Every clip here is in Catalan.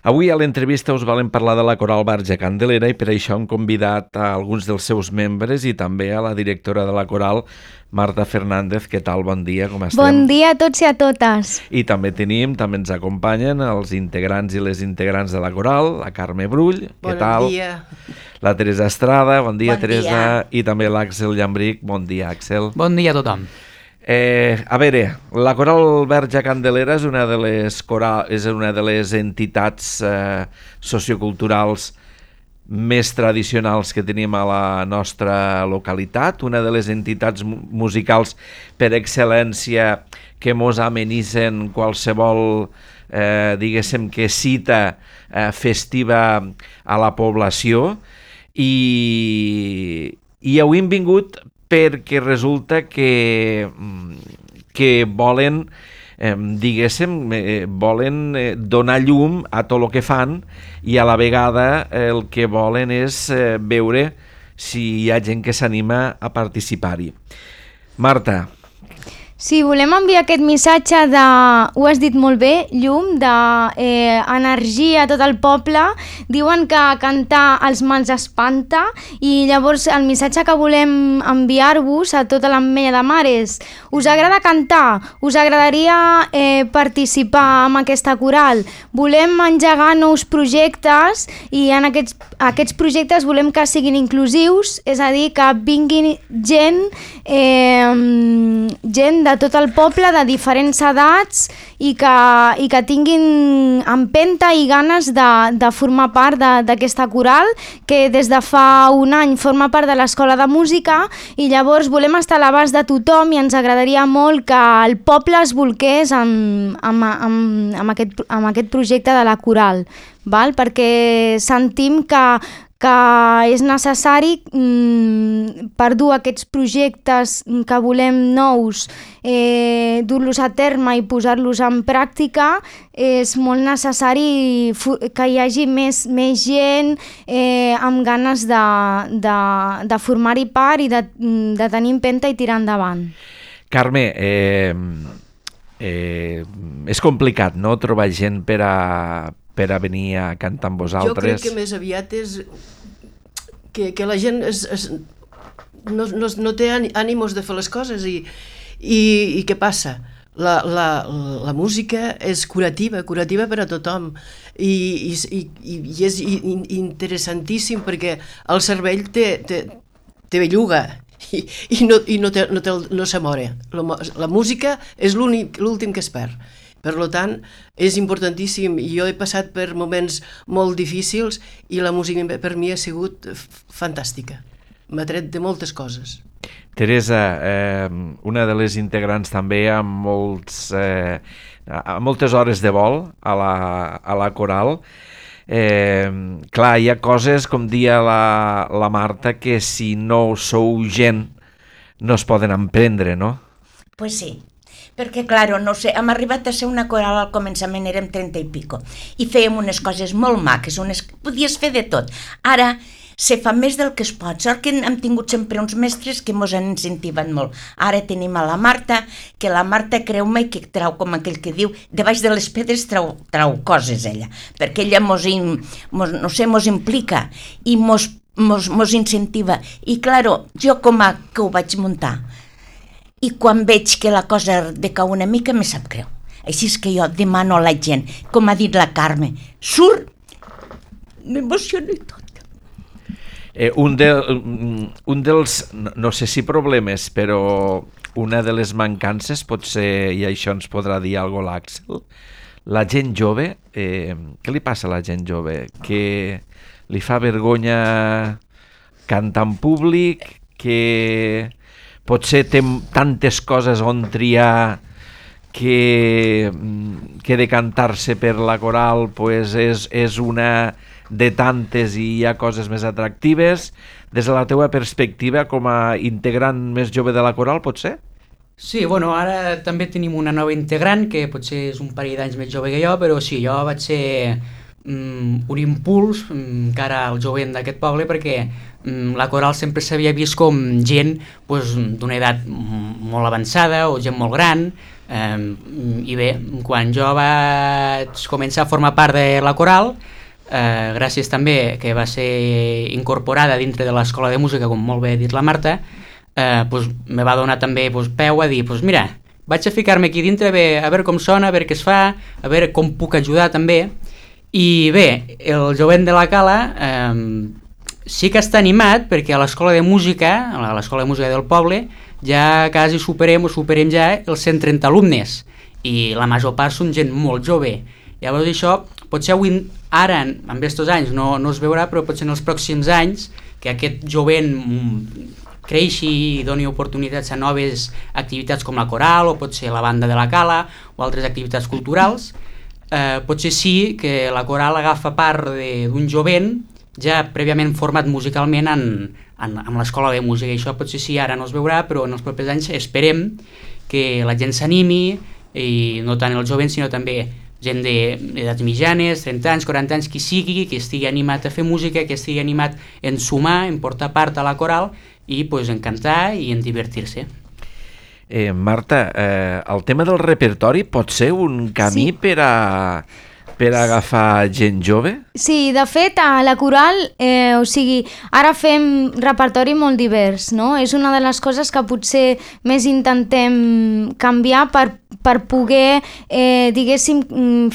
Avui a l'entrevista us volem parlar de la Coral Verge Candelera i per això hem convidat a alguns dels seus membres i també a la directora de la Coral, Marta Fernández. Què tal? Bon dia, com estem? Bon dia a tots i a totes. I també ens acompanyen els integrants i les integrants de la Coral, la Carme Brull, què tal? Bon dia. La Teresa Estrada, bon dia, Bon Teresa. dia. I també l'Àxel Llambric, bon dia, Àxel. Bon dia a tothom. A veure, la Coral Verge Candelera és una de les entitats socioculturals més tradicionals que tenim a la nostra localitat, una de les entitats musicals per excel·lència que mos amenitzen qualsevol, diguéssim, que cita festiva a la població, i avui hem vingut perquè resulta que volen, volen donar llum a tot el que fan i a la vegada el que volen és veure si hi ha gent que s'anima a participar-hi. Marta. Sí, volem enviar aquest missatge de, ho has dit molt bé, llum, d'energia a tot el poble. Diuen que cantar els mals espanta i llavors el missatge que volem enviar-vos a tota l'Ametlla de Mar és: us agrada cantar? Us agradaria participar en aquesta coral? Volem engegar nous projectes i en aquests projectes volem que siguin inclusius, és a dir, que vinguin gent de tot el poble, de diferents edats i que tinguin empenta i ganes de formar part d'aquesta coral que des de fa un any forma part de l'Escola de Música, i llavors volem estar a l'abast de tothom i ens agradaria molt que el poble es volqués amb aquest projecte de la coral, val? Perquè sentim que és necessari per dur aquests projectes que volem nous, dur-los a terme i posar-los en pràctica. És molt necessari que hi hagi més gent amb ganes de formar-hi part i de tenir empenta i tirar endavant. Carme, és complicat, no?, trobar gent per a venir a cantar amb vosaltres. Jo crec que més aviat és que la gent no té ànimos de fer les coses i què passa? La música és curativa per a tothom i és interessantíssim perquè el cervell té belluga i no se mora. La música és l'últim que es perd. Per tant, és importantíssim. Jo he passat per moments molt difícils i la música per mi ha sigut fantàstica. M'ha tret de moltes coses. Teresa, una de les integrants també amb moltes hores de vol a la coral. Clar, hi ha coses, com dia la Marta, que si no sou gent no es poden emprendre, no? Pues sí. Perquè, claro, no sé, hem arribat a ser una coral al començament, érem 30 i pico, i fèiem unes coses molt maques, podies fer de tot. Ara se fa més del que es pot, sort que hem tingut sempre uns mestres que ens han incentivat molt. Ara tenim a la Marta, que la Marta, creu-me, que trau, com aquell que diu, de baix de les pedres trau coses, ella, perquè ella mos implica i mos incentiva. I, claro, jo com que ho vaig muntar, i quan veig que la cosa decau una mica me sap greu. Així és que jo demano a la gent, com ha dit la Carme, surt, m'emociono i tot. Un dels, no sé si problemes, però una de les mancances pot ser, i això ens podrà dir alguna cosa l'Àxel, la gent jove, què li passa a la gent jove? Que li fa vergonya cantar en públic, que potser té tantes coses on triar que decantar-se per la coral pues és una de tantes i hi ha coses més atractives. Des de la teua perspectiva, com a integrant més jove de la coral, pot ser? Sí, bueno, ara també tenim una nova integrant que potser és un parell d'anys més jove que jo, però sí, jo vaig ser un impuls cara al jovent d'aquest poble, perquè la coral sempre s'havia vist com gent d'una edat molt avançada o gent molt gran, i bé, quan jo vaig començar a formar part de la coral, gràcies també que va ser incorporada dintre de l'escola de música, com molt bé ha dit la Marta, me va donar també peu a dir, mira, vaig a ficar-me aquí dintre, a veure com sona, a veure què es fa, a veure com puc ajudar també. I bé, el jovent de la Cala sí que està animat, perquè a l'escola de música del poble, ja quasi superem ja els 130 alumnes, i la major part són gent molt jove. Llavors això, potser avui, ara, en aquests anys, no es veurà, però potser en els pròxims anys, que aquest jovent creixi i doni oportunitats a noves activitats com la coral, o potser la banda de la Cala, o altres activitats culturals, potser sí que la coral agafa part d'un jovent ja prèviament format musicalment amb l'escola de música, i això potser sí, ara no es veurà, però en els propers anys esperem que la gent s'animi, i no tant el jovent, sinó també gent d'edats mitjanes, 30 anys, 40 anys, qui sigui, que estigui animat a fer música, que estigui animat en sumar, en portar part a la coral, i en cantar i en divertir-se. Marta, el tema del repertori pot ser un camí per agafar gent jove? Sí, de fet, a la coral, ara fem repertori molt divers, no? És una de les coses que potser més intentem canviar per poder, diguéssim,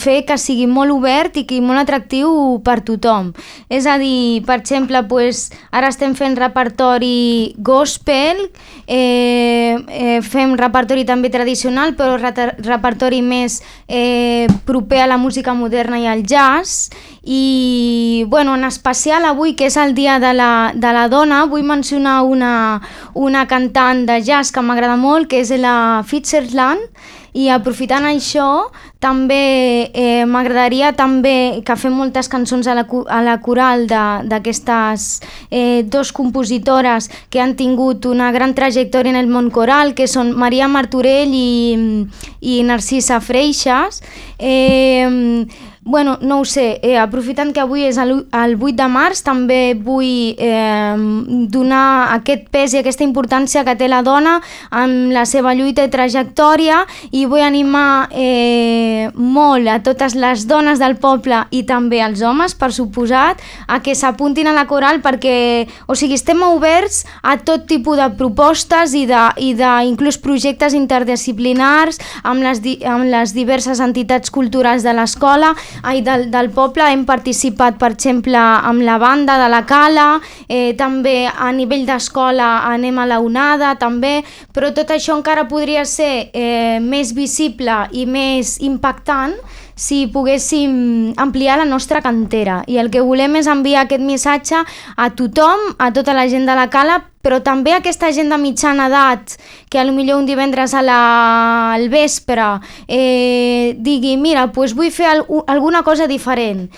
fer que sigui molt obert i molt atractiu per tothom. És a dir, per exemple, ara estem fent repertori gospel, fem repertori també tradicional, però repertori més proper a la música moderna i al jazz. I en especial avui, que és el dia de la dona, vull mencionar una cantant de jazz que m'agrada molt, que és la Fitzgerald, i aprofitant això també m'agradaria també que fem moltes cançons a la coral d'aquestes dos compositores que han tingut una gran trajectòria en el món coral, que són Maria Martorell i Narcisa Freixas. No ho sé, aprofitant que avui és el 8 de març, també vull donar aquest pes i aquesta importància que té la dona amb la seva lluita i trajectòria, i vull animar molt a totes les dones del poble i també als homes, per suposat, a que s'apuntin a la coral, perquè estem oberts a tot tipus de propostes i d'inclús projectes interdisciplinars amb les diverses entitats culturals de l'escola del poble. Hem participat, per exemple, amb la banda de la Cala, també a nivell d'escola anem a la onada també, però tot això encara podria ser més visible i més impactant si poguéssim ampliar la nostra cantera, i el que volem és enviar aquest missatge a tothom, a tota la gent de la Cala, però també a aquesta gent de mitjana edat que potser un divendres al vespre digui, mira, vull fer alguna cosa diferent,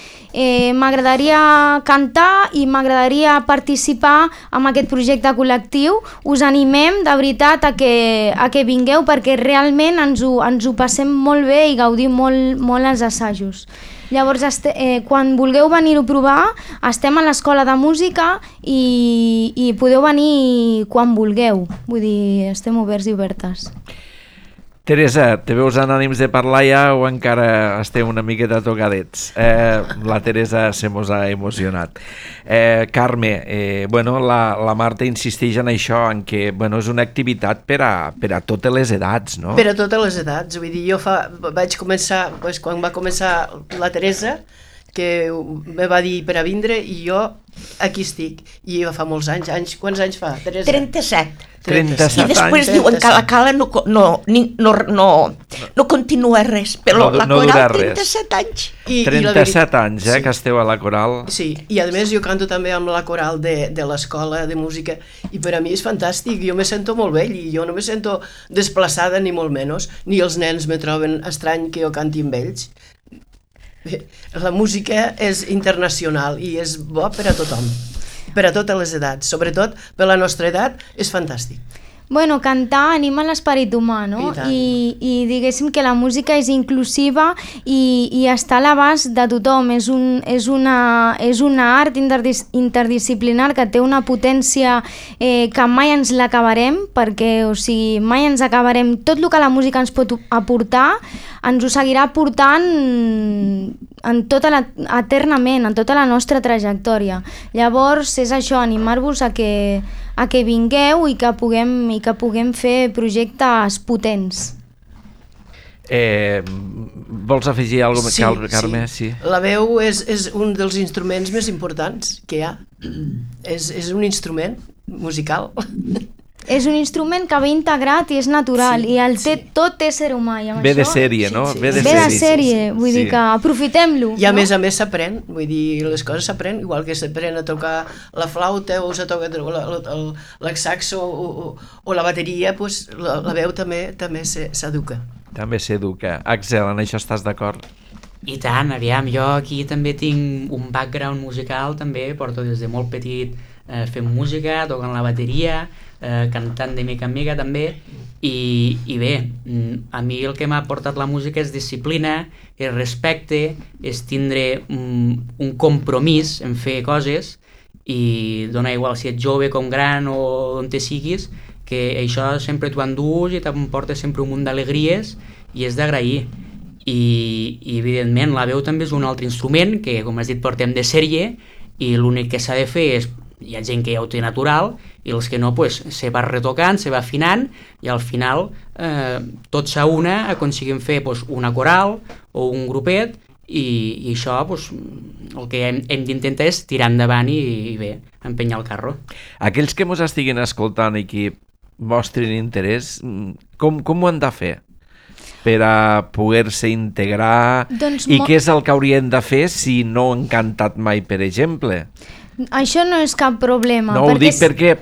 m'agradaria cantar i m'agradaria participar en aquest projecte col·lectiu. Us animem de veritat a que vingueu, perquè realment ens ho passem molt bé i gaudim molt els assajos. Llavors, quan vulgueu venir-ho a provar, estem a l'escola de música i podeu venir quan vulgueu. Vull dir, estem oberts i obertes. Teresa, te veus en ànims de parlar ja o encara esteu una miqueta tocadets? La Teresa se mos ha emocionat. Carme, la Marta insisteix en això, en que és una activitat per a totes les edats, no? Per a totes les edats. Vull dir, jo vaig començar, quan va començar la Teresa, que me va dir per a vindre, i jo aquí estic. I fa molts anys. Quants anys fa, Teresa? 37. 37 I després diuen que la Cala no continua res, però la coral 37 anys. 37 anys, que esteu a la coral. Sí, i a més jo canto també amb la coral de l'escola de música, i per a mi és fantàstic, jo me sento molt vell, i jo no me sento desplaçada ni molt menys, ni els nens me troben estrany que jo canti amb ells. La música és internacional i és bo per a tothom, per a totes les edats, sobretot per la nostra edat és fantàstic. Bueno, cantar anima l'esperit humà, no? I diguéssim que la música és inclusiva i està a l'abast de tothom. És una art interdisciplinar que té una potència que mai ens l'acabarem, perquè, o sigui, mai ens acabarem. Tot el que la música ens pot aportar ens ho seguirà aportant eternament, en tota la nostra trajectòria. Llavors, és això, animar-vos a que vingueu i que puguem fer projectes potents. Vols afegir alguna cosa, Carme? Sí. La veu és un dels instruments més importants que hi ha. És un instrument musical. És un instrument que ve integrat i és natural, i el té tot ésser humà. Ve de sèrie, no? Ve de sèrie, vull dir que aprofitem-lo. I a més s'aprèn, vull dir, les coses s'aprèn, igual que s'aprèn a tocar la flauta o se toca el saxo o la bateria, doncs la veu també s'educa. També s'educa. Axel, en això estàs d'acord? I tant, aviam, jo aquí també tinc un background musical, també porto des de molt petit fent música, tocant la bateria, cantant de mica en mica també, i bé, a mi el que m'ha portat la música és disciplina, és respecte, és tindre un compromís en fer coses, i dona igual si ets jove com gran o on te siguis, que això sempre t'ho endús i t'emporta sempre un munt d'alegries i és d'agrair. I evidentment la veu també és un altre instrument que, com has dit, portem de sèrie, i l'únic que s'ha de fer és, hi ha gent que ja ho té natural i els que no, pues, se va retocant, se va afinant i al final tot s'auna, aconseguim fer una coral o un grupet i això el que hem d'intentar és tirar endavant i bé, empenyar el carro. Aquells que mos estiguin escoltant i que mostrin interès, com ho han de fer per a poder-se integrar i què és el que haurien de fer si no han cantat mai, per exemple? Això no és cap problema. No ho dic perquè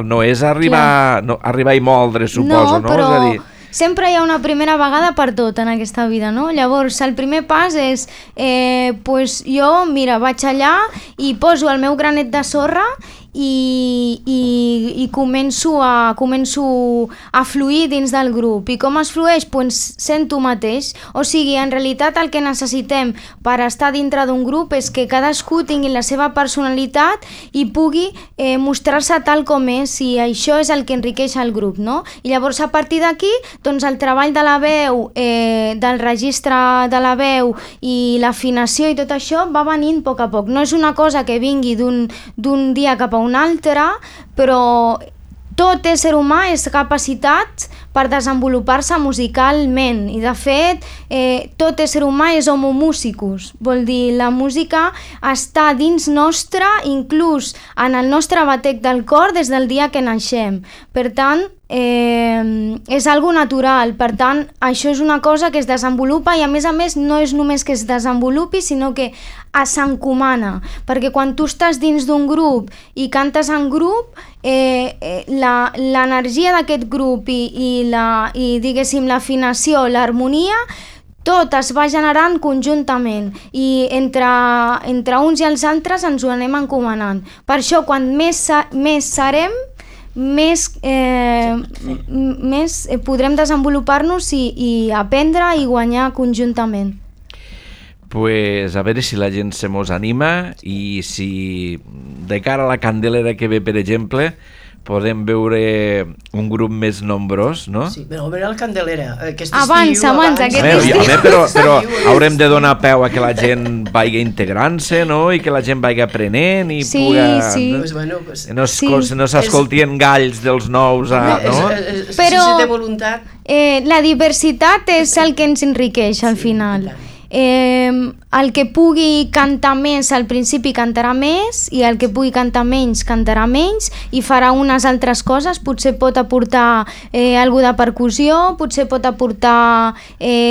no és arribar i moldre, suposo, no? No, però sempre hi ha una primera vegada per tot en aquesta vida, no? Llavors, el primer pas és, jo, mira, vaig allà i poso el meu granet de sorra i començo a fluir dins del grup. I com es flueix? Pues sent tu mateix. O sigui, en realitat el que necessitem per estar dintre d'un grup és que cadascú tingui la seva personalitat i pugui mostrar-se tal com és, i això és el que enriqueix el grup, no? I llavors a partir d'aquí, doncs el treball de la veu, del registre de la veu i l'afinació i tot això va venint a poc a poc. No és una cosa que vingui d'un dia cap a un altre, però tot ésser humà és capacitat per desenvolupar-se musicalment, i de fet tot ésser humà és homo musicus, vol dir la música està dins nostre, inclús en el nostre batec del cor des del dia que naixem. Per tant, és algo natural, per tant això és una cosa que es desenvolupa, i a més no és només que es desenvolupi, sinó que s'encomana, perquè quan tu estàs dins d'un grup i cantes en grup, l'energia d'aquest grup i diguéssim l'afinació, l'harmonia, tot es va generant conjuntament, i entre uns i els altres ens ho anem encomanant. Per això, quan més serem, més podrem desenvolupar-nos i aprendre i guanyar conjuntament. Pues a veure si la gent se mos anima, i si de cara a la Candelera que ve, per exemple, podem veure un grup més nombrós, no? Sí, però a veure la Candelera, aquest abans, aquest estiu. Però haurem de donar peu a que la gent vagi integrant-se, no? I que la gent vagi aprenent i no s'escoltien galls dels nous, no? Però si té voluntat. La diversitat és el que ens enriqueix al final. El que pugui cantar més al principi cantarà més, i el que pugui cantar menys cantarà menys, i farà unes altres coses. Potser pot aportar alguna de percussió, potser pot aportar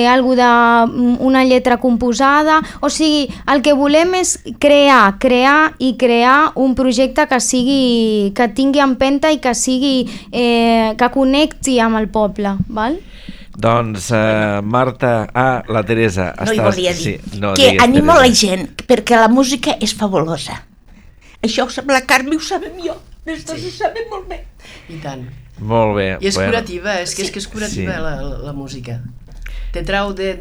alguna d'una lletra composada. O sigui, el que volem és crear un projecte que tingui empenta i que connecti amb el poble, val? Doncs, Marta, la Teresa... No, hi volia dir que animo la gent, perquè la música és fabulosa. Això la Carme ho sabem jo. Les dues ho saben molt bé. I tant. Molt bé. I és curativa, és que és curativa Sí. la música. Te trau de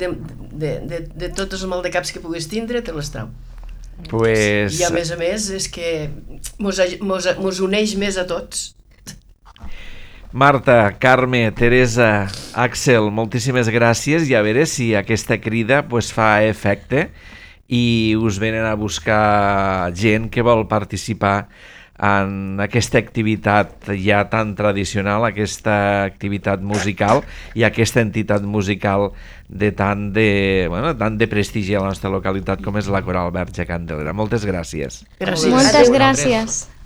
tots els maldecaps que puguis tindre, te les trau. Pues... I a més, és que mos uneix més a tots. Marta, Carme, Teresa, Àxel, moltíssimes gràcies i a veure si aquesta crida pues, fa efecte i us venen a buscar gent que vol participar en aquesta activitat ja tan tradicional, aquesta activitat musical i aquesta entitat musical de tant de prestigi a la nostra localitat com és la Coral Verge Candelera. Moltes gràcies. Gràcies. Moltes Adéu. gràcies.